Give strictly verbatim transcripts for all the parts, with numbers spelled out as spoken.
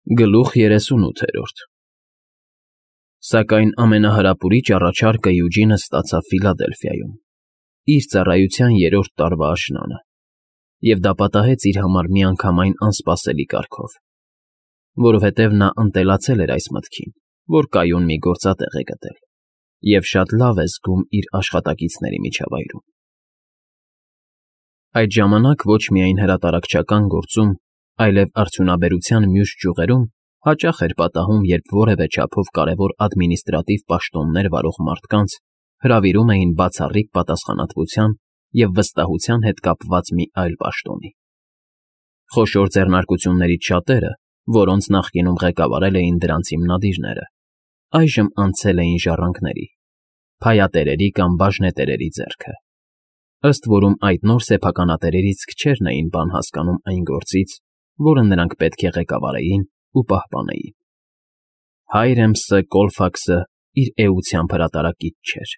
Գլուխ երեսունութերորդ Սակայն ամենահրապուրիչ առաջարկը Յուջինը ստացավ Ֆիլադելֆիայում, իր ծառայության երրորդ տարվա աշնանը, և դա պատահեց իր համար միանգամայն անսպասելի կարգով, որովհետև նա ընտելացել էր այս մտքին, որ կայուն մի գործատեղ է գտել և շատ լավ է զգում իր աշխատակիցների միջավայրում։ Այդ ժամանակ ոչ միայն հրատարակչական գործում, այլև արդյունաբերության մյուս ճյուղերում հաճախ էր պատահում, երբ որևէ չափով կարևոր ադմինիստրատիվ պաշտոններ վարող մարդկանց հրավիրում էին բացառիկ պատասխանատվության և վստահության հետ կապված մի այլ պաշտոնի։ Խոշոր ձեռնարկություններից շատերը, որոնց նախկինում ղեկավարել էին դրանց հիմնադիրները, այժմ անցել էին ժառանգների, փայատերերի կամ բաժնետերերի ձեռքը, ըստ որում այդ նոր սեփականատերերից քչերն էին բան հասկանում այն գործից, որը նրանք պետք է ղեկավարեին ու պահպանեին։ Հայրեմսը Կոլֆաքսը իր էությամբ հրատարակիչ չէր։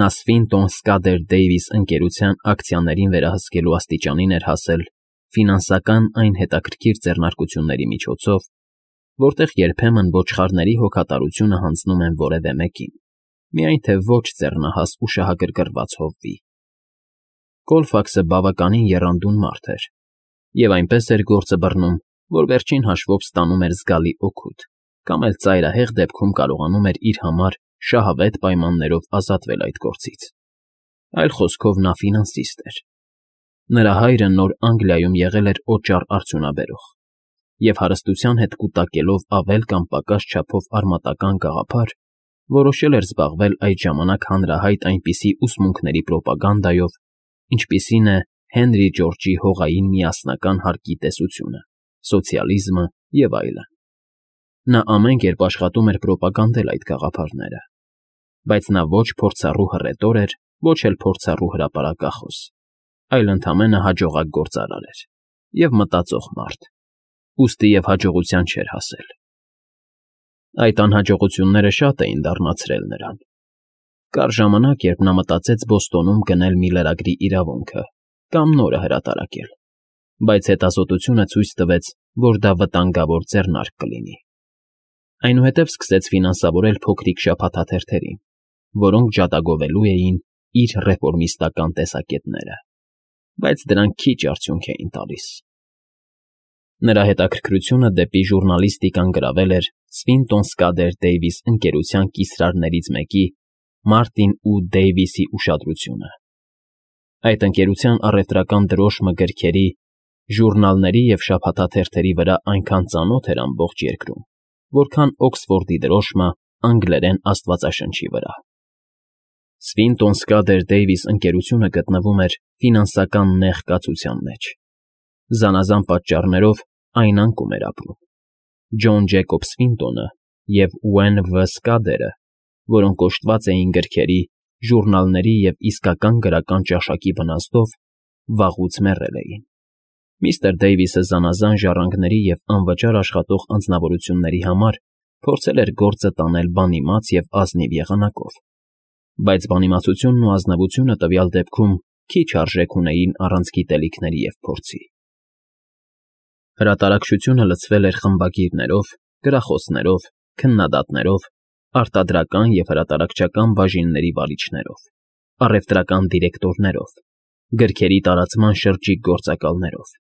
Նա Սվինտոն Սկադեր Դեյվիս ընկերության ակցիաներին վերահսկելու աստիճանին էր հասել ֆինանսական այն հետաքրքիր ձեռնարկությունների միջոցով, որտեղ երբեմն ոչխարների հոգատարությունը հանձնում են որևէ մեկին, միայն թե ոչ ձեռնահաս ու շահագրգռված հովվի։ Կոլֆաքսը բավականին եռանդուն մարդ էր, և այնպես էր գործը բռնում, որ վերջին հաշվով ստանում էր զգալի օգուտ կամ էլ ծայրահեղ դեպքում կարողանում էր իր համար շահավետ պայմաններով ազատվել այդ գործից։ Այլ խոսքով նա ֆինանսիստ էր։ Նրա հայրը Նոր Անգլիայում եղել էր օճառ արդյունաբերող, և հարստության հետ կուտակելով ավել կամ պակաս չափով արմատական գաղափար, որոշել էր զբաղվել այդ ժամանակ հանրահայտ այնպիսի ուսմունքների պրոպագանդայով, ինչպիսին է Հենրի Ջորջի հողային միասնական հարկի տեսությունը, սոցիալիզմը և այլն։ Նա ամեն կերպ աշխատում էր պրոպագանդել այդ գաղափարները, բայց նա ոչ փորձառու հռետոր էր, ոչ էլ փորձառու հրապարակախոս, այլ ընդամենը հաջողակ գործարար էր և մտածող մարդ, ուստի և հաջողության չէր հասել։ Այդ անհաջողությունները շատ էին դառնացրել նրան։ Կար ժամանակ, երբ նա մտածեց Բոստոնում գնել մի լրագրի իրավունքը կամ նորը հրատարակել, բայց հետազոտությունը ցույց տվեց, որ դա վտանգավոր ձեռնարկ կլինի։ Այնուհետև սկսեց ֆինանսավորել փոքրիկ շաբաթաթերթերին, որոնք ջատագովելու էին իր ռեֆորմիստական տեսակետները, բայց դրանք քիչ արդյունք էին տալիս։ Նրա հետաքրքրությունը դեպի ժուռնալիստիկան գրավել էր Սվինտոն Սկադեր Դեյվիս ընկերության կիսրարներից մեկի՝ Մարտին ու Դեյվիսի ուշադրությունը։ Այդ ընկերության առևտրական դրոշմը գրքերի, ժուռնալների և շաբաթաթերթերի վրա այնքան ծանոթ էր ամբողջ երկրում, որքան Օքսֆորդի դրոշմը անգլերեն աստվածաշնչի վրա։ Սվինտոն Սկադեր Դեյվիս ընկերությունը գտնվում էր ֆինանսական նեղ կացության մեջ։ Զանազան պատճառներով այն անկում էր ապրում։ Ջոն Ջեյքոբ Սվինտոնը և Ուեն Վ. Սկադերը, որոնք օժտված էին գրքերի, ժուռնալների և իսկական գրական ճաշակի վնասով, վաղուց մեռել էին։ Միստր Դեյվիսը զանազան ժառանգների և անվճար աշխատող անձնավորությունների համար փորձել էր գործը տանել բանիմաց և ազնիվ եղանակով, բայց բանիմացությունն ու ազնվությունը տվյալ դեպքում քիչ արժեք ունեին առանց գիտելիքների և փորձի։ Հրատարակչությունը լցվել էր խմբագիրներով, գրախոսներով, քննադատներով, արտադրական և հրատարակչական բաժինների վարիչներով, առևտրական դիրեկտորներով, գրքերի տարածման շրջիկ գործակալներով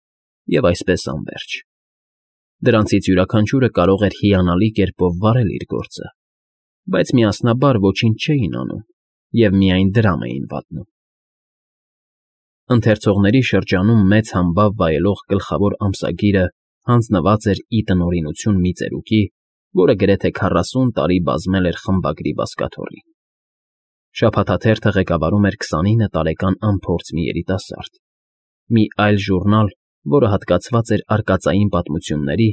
և այսպես անվերջ։ Դրանցից յուրաքանչյուրը կարող էր հիանալի կերպով վարել իր գործը, բայց միասնաբար ոչինչ չէին անում և միայն դրամ էին վատնում։ Ընթերցողների շրջանում մեծ համբավ վայելող գլխավոր ամսագիրը հանձնված էր ի տնօրինություն մի ծերուկի, որը գրեթե քառասուն տարի բազմել էր խմբագրի բազկաթոռին։ Շաբաթաթերթը ղեկավարում էր քսանինը տարեկան անփորձ մի երիտասարդ։ Մի այլ ժուռնալ, որը հատկացված էր արկածային պատմությունների,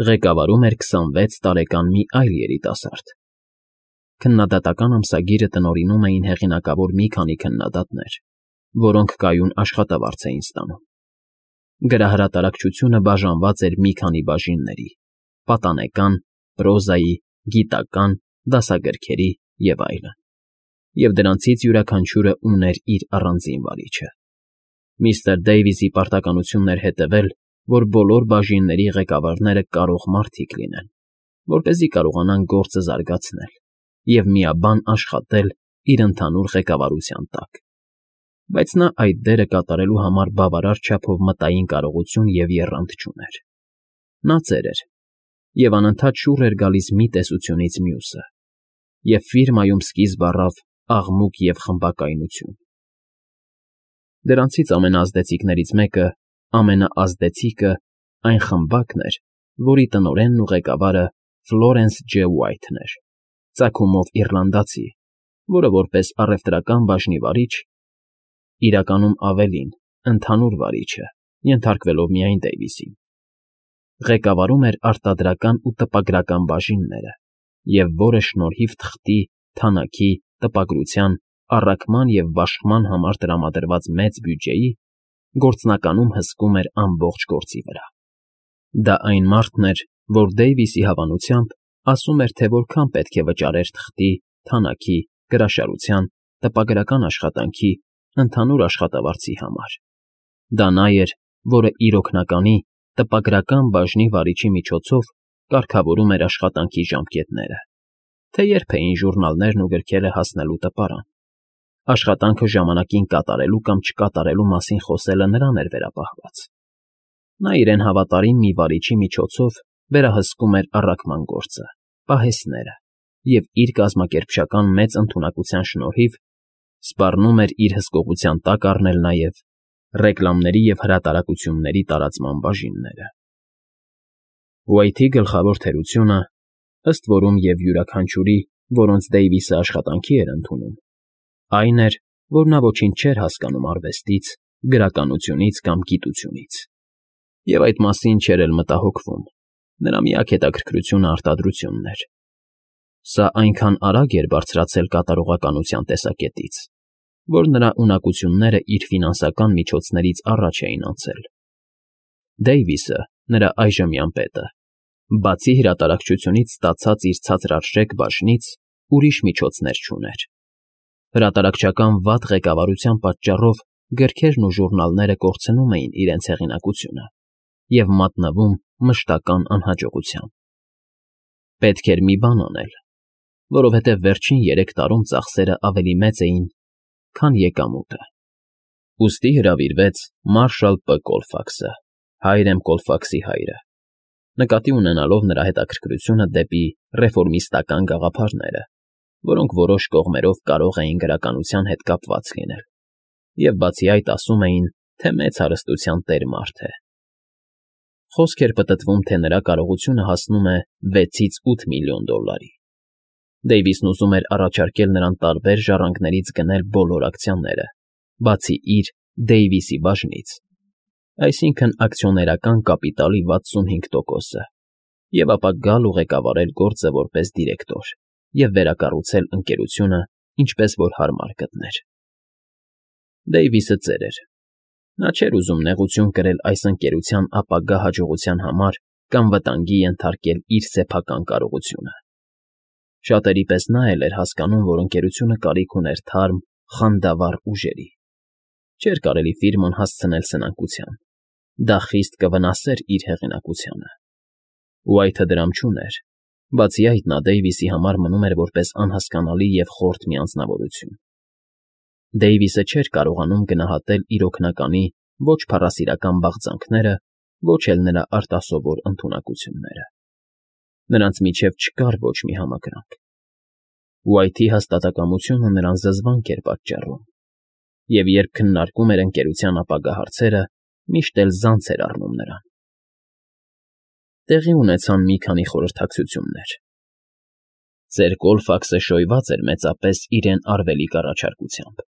ղեկավարում էր քսանվեց տարեկան մի այլ երիտասարդ։ Քննադատական ամսագիրը տնօրինում էին հեղինակավոր մի քանի քննադատներ, որոնք կայուն աշխատավարձ էին ստանում։ Գրահրատարակչությունը բաժանված էր մի քանի բաժինների՝ պատանեկան, պրոզայի, գիտական, դասագրքերի և այլն, և դրանցից յուրաքանչյուրը ուներ իր առանձին վարիչը։ Միստր Դեյվիսի պարտականությունն էր հետևել, որ բոլոր բաժինների ղեկավարները կարող մարդիկ լինեն, որպեսզի կարողանան գործը զարգացնել և միաբան աշխատել իր ընդհանուր ղեկավարության տակ, բայց նա այդ դերը կատարելու համար բավարար չափով մտային կարողություն և եռանդ չուներ. նա ծեր էր և անընդհատ շուռ էր գալիս մի տեսությունից մյուսը, և ֆիրմայում սկիզբ առավ աղմուկ և խմբակայնություն. դրանցից ամենաազդեցիկներից մեկը, ամենաազդեցիկը այն խմբակն էր, որի տնօրենն ու ղեկավարը Ֆլորենս Ջ. Ուայթն էր, ծագումով իռլանդացի, որը որպես առևտրական բաժնի վարիչ (իրականում ավելին, ընդհանուր վարիչը, ենթարկվելով միայն Դեյվիսին) ղեկավարում էր արտադրական ու տպագրական բաժինները և որը շնորհիվ թղթի, թանաքի, տպագրության, առաքման և բաշխման համար տրամադրված մեծ բյուջեի, գործնականում հսկում էր ամբողջ գործի վրա. դա այն մարդն էր, որ Դեյվիսի հավանությամբ ասում էր, թե որքան պետք է վճարեր թղթի, թանաքի, գրաշարության, տպագրական աշխատանքի, ընդհանուր աշխատավարձի համար. դա նա էր, որը իր օգնականի, տպագրական բաժնի վարիչի միջոցով կարգավորում էր աշխատանքի ժամկետները, թե երբ էին ժուռնալներն ու գրքերը հասնելու տպարան, աշխատանքը ժամանակին կատարելու կամ չկատարելու մասին խոսելը նրան էր վերապահված. նա իրեն հավատարիմ մի վարիչի միջոցով վերահսկում էր առաքման գործը, պահեստները և իր կազմակերպչական մեծ ընդունակության շնորհիվ սպառնում էր իր հսկողության տակ առնել նաև ռեկլամների և հրատարակությունների տարածման բաժինները։ Ուայթի գլխավոր թերությունը, ըստ որում և յուրաքանչյուրի, որոնց Դեյվիսը աշխատանքի էր ընդունում, այն էր, որ նա ոչինչ չէր հասկանում արվեստից, գրականությունից կամ գիտությունից, և այդ մասին չէր էլ մտահոգվում. նրա միակ հետաքրքրությունը արտադրությունն էր։ Սա այնքան արագ էր բարձրացել կատարողականության տեսակետից, որ նրա ունակությունները իր ֆինանսական միջոցներից առաջ էին անցել։ Դեյվիսը, նրա այժմյան պետը, բացի հրատարակչությունից ստացած իր ցածրարժեք բաժնից, ուրիշ միջոցներ չուներ։ Հրատարակչական վատ ղեկավարության պատճառով գրքերն ու ժուռնալները կորցնում էին իրենց հեղինակությունը և մատնվում մշտական անհաջողության։ Պետք էր մի բան անել, որովհետև վերջին երեք տարում ծախսերը ավելի մեծ էին, քան եկամուտը։ Ուստի հրավիրվեց Մարշալ Պ. Կոլֆաքսը, Հայրեմ Կոլֆաքսի հայրը, նկատի ունենալով նրա հետաքրքրությունը դեպի ռեֆորմիստական գաղափարները, որոնք որոշ կողմերով կարող էին գրականության հետ կապված լինել, և բացի այդ ասում էին, թե մեծ հարստության տեր մարդ է։ Խոսք էր պտտվում, թե նրա կարողությունը հասնում է վեցից ութ միլիոն դոլարի։ Դեյվիսն ուզում էր առաջարկել նրան տարբեր ժառանգներից գնել բոլոր ակցիաները, բացի իր Դեյվիսի բաժնից, այսինքն ակցիոներական կապիտալի վաթսունհինգ տոկոսը, և ապա գալ ու ղեկավարել գործը որպես դիրեկտոր և վերակառուցել ընկերությունը, ինչպես որ հարմար գտներ։ Դեյվիսը ծեր էր. նա չէր ուզում նեղություն կրել այս ընկերության ապագա հաջողության համար կամ վտանգի ենթարկել իր սեփական կարողությունը։ Շատերի պես նա էլ էր հասկանում, որ ընկերությունը կարիք ուներ թարմ, խանդավառ ուժերի։ Չէր կարելի ֆիրման հասցնել սնանկության, դա խիստ կվնասեր իր հեղինակությանը։ Ուայթը դրամ չուներ, բացի այդ նա Դեյվիսի համար մնում էր որպես անհասկանալի և խորթ մի անձնավորություն։ Դեյվիսը չէր կարողանում գնահատել իր օգնականի ոչ փառասիրական բաղձանքները, ոչ էլ նրա արտասովոր ընդունակությունները։ Նրանց միջև չկար ոչ մի համակրանք։ Ուայթի հաստատակամությունը նրան զզվանք էր պատճառում, և երբ քննարկում էր ընկերության ապագա հարցերը, միշտ էլ զանց էր առնում նրան։ Տեղի ունեցան մի քանի խորհրդակցություններ։ Ծեր Կոլֆաքսը շոյված էր մեծապես իրեն արվելիք առաջարկությամբ։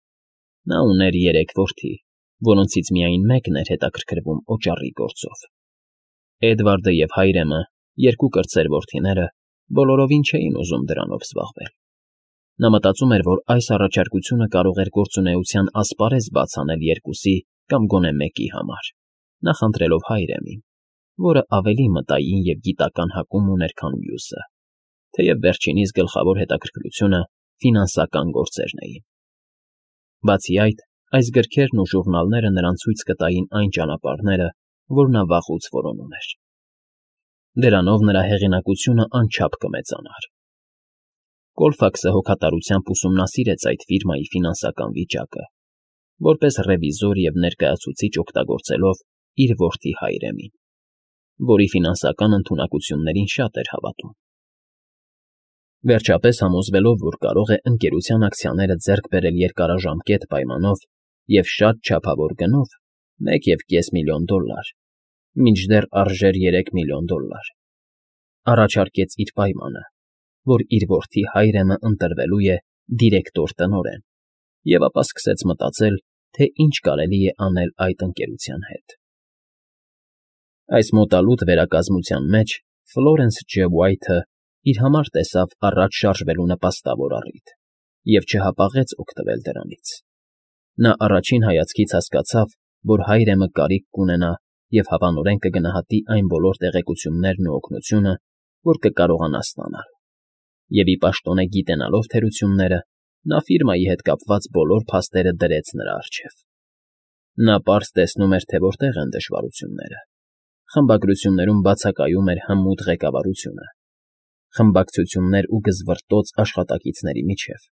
Նա ուներ երեք որդի, որոնցից միայն մեկն էր հետաքրքրվում օճառի գործով։ Էդվարդը և Հայրեմը, երկու կրտսեր որդիները, բոլորովին չէին ուզում դրանով զբաղվել։ Նա մտածում էր, որ այս առաջարկությունը կարող էր գործունեության ասպարեզ բաց անել երկուսի կամ գոնե մեկի համար, նախընտրելով Հայրեմին, որը ավելի մտային և գիտական հակում ուներ, քան մյուսը, թեև վերջինիս գլխավոր հետաքրքրությունը ֆինանսական գործերն էին։ Բացի այդ, այս գրքերն ու ժուռնալները նրան ցույց կտային այն ճանապարհները, որ նա վաղուց որոնում էր։ Դրանով նրա հեղինակությունը անչափ կմեծանար։ Կոլֆաքսը հոգատարությամբ ուսումնասիրեց այդ ֆիրմայի ֆինանսական վիճակը, որպես ռևիզոր և ներկայացուցիչ օգտագործելով իր որդի Հայրեմին, որի ֆինանսական ընդունակություններին շատ էր հավատում։ Վերջապես համոզվելով, որ կարող է ընկերության ակցիաները ձեռք բերել երկարաժամկետ պայմանով և շատ չափավոր գնով, մեկ և կես միլիոն դոլար, մինչդեռ արժեր երեք միլիոն դոլար, առաջարկեց իր պայմանը, որ իր որդի Հայրեմը ընտրվելու է դիրեկտոր տնօրեն, և ապա սկսեց մտածել, թե ինչ կարելի է անել այդ ընկերության հետ։ Այս մոտալուտ վերակազմության մեջ Ֆլորենս Ջ. Ուայթը իր համար տեսավ առաջ շարժվելու նպաստավոր առիթ և չհապաղեց օգտվել դրանից։ Նա առաջին հայացքից հասկացավ, որ Հայրեմը կարիք կունենա և հավանորեն կգնահատի այն բոլոր տեղեկություններն ու օգնությունը, որ կկարողանա ստանալ, և ի պաշտոնե գիտենալով թերությունները, նա ֆիրմայի հետ կապված բոլոր փաստերը դրեց նրա առջև։ Նա պարզ տեսնում էր, թե որտեղ են դժվարությունները։ Խմբագրություններում բացակայում էր հմուտ ղեկավարությունը, խմբակցություններ ու գզվռտոց աշխատակիցների միջև,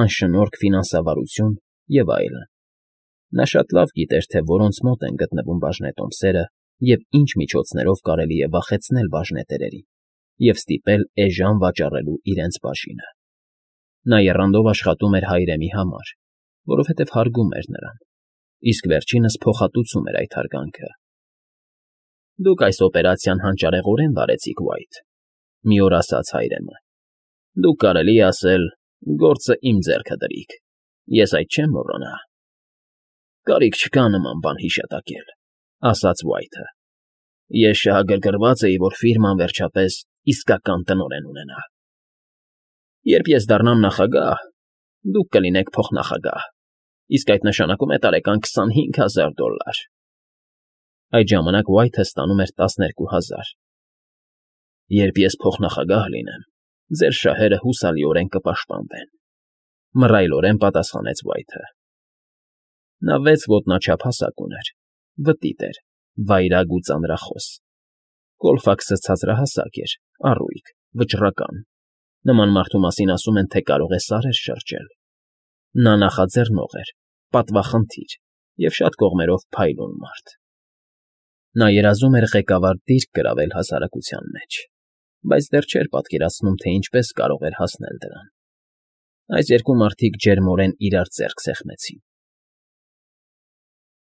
անշնորհք ֆինանսավարություն և այլն։ Նա շատ լավ գիտեր, թե որոնց մոտ են գտնվում բաժնետոմսերը և ինչ միջոցներով կարելի է վախեցնել բաժնետերերին և ստիպել էժան վաճառելու իրենց բաժինը։ Նա եռանդով աշխատում էր Հայրեմի համար, որովհետև հարգում էր նրան, իսկ վերջինս փոխհատուցում էր այդ հարգանքը։ Դուք այս օպերացիան հանճարեղորեն վարեցիք, Ուայթ,֊ մի օր ասաց Հայրեմը։ Դուք, կարելի է ասել, գործը իմ ձեռքը դրիք, ես այդ չեմ մոռանա։ Կարիք չկա նման բան հիշատակել,֊ ասաց Ուայթը։ Ես շահագրգռված էի, որ ֆիրման վերջապես իսկական տնօրեն ունենա։ Երբ ես դառնամ նախագահ, դուք կլինեք փոխնախագահ, իսկ այդ նշանակում է տարեկան քսանհինգ հազար դոլար։ Այդ ժամանակ Ուայթը ստանում էր տասներկու հազար։ Երբ ես փոխնախագահ լինեմ, ձեր շահերը հուսալիորեն կպաշտպանվեն,֊ մռայլորեն պատասխանեց Ուայթը։ Նա վեց ոտնաչափ հասակ ուներ, վտիտ էր, վայրագ ու ծանրախոս։ Կոլֆաքսը ցածրահասակ էր, առույգ, վճռական, նման մարդու մասին ասում են, թե կարող է սարեր շրջել։ Նա նախաձեռնող էր, պատվախնդիր և շատ կողմերով փայլուն մարդ։ Նա երազում էր ղեկավար դիրք գրավել հասարակության մեջ, բայց դեռ չէր պատկերացնում, թե ինչպես կարող էր հասնել դրան։ Այս երկու մարդիկ ջերմորեն իրար ձեռք սեղմեցին։